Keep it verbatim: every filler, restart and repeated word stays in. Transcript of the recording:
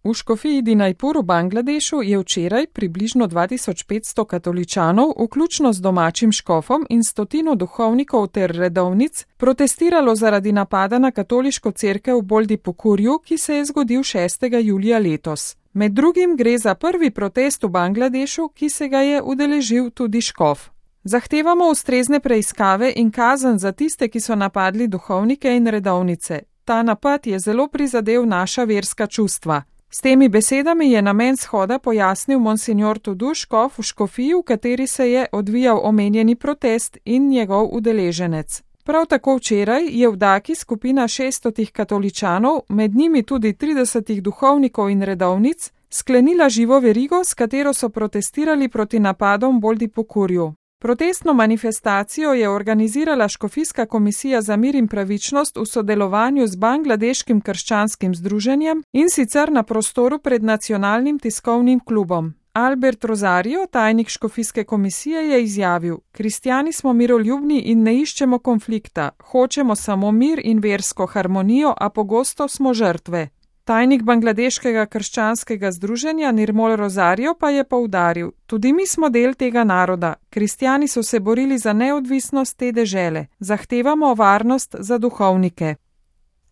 V škofiji Dinajpur v Bangladešu je včeraj približno dva tisoč petsto katoličanov, vključno z domačim škofom in stotino duhovnikov ter redovnic, protestiralo zaradi napada na katoliško cerkev v Boldipukurju, ki se je zgodil šestega julija letos. Med drugim gre za prvi protest v Bangladešu, ki se ga je udeležil tudi škof. Zahtevamo ustrezne preiskave in kazen za tiste, ki so napadli duhovnike in redovnice. Ta napad je zelo prizadel naša verska čustva. S temi besedami je namen shoda pojasnil monsignor Tudu, škof v škofiji, v kateri se je odvijal omenjeni protest in njegov udeleženec. Prav tako včeraj je v Daki skupina šeststotih katoličanov, med njimi tudi tridesetih duhovnikov in redovnic, sklenila živo verigo, s katero so protestirali proti napadom v Boldipukurju. Protestno manifestacijo je organizirala Škofijska komisija za mir in pravičnost v sodelovanju z Bangladeškim krščanskim združenjem in sicer na prostoru pred Nacionalnim tiskovnim klubom. Albert Rosario, tajnik Škofijske komisije, je izjavil: "Kristjani smo miroljubni in ne iščemo konflikta, hočemo samo mir in versko harmonijo, a pogosto smo žrtve." Tajnik Bangladeškega krščanskega združenja Nirmol Rosario pa je poudaril: "Tudi mi smo del tega naroda. Kristjani so se borili za neodvisnost te dežele. Zahtevamo varnost za duhovnike."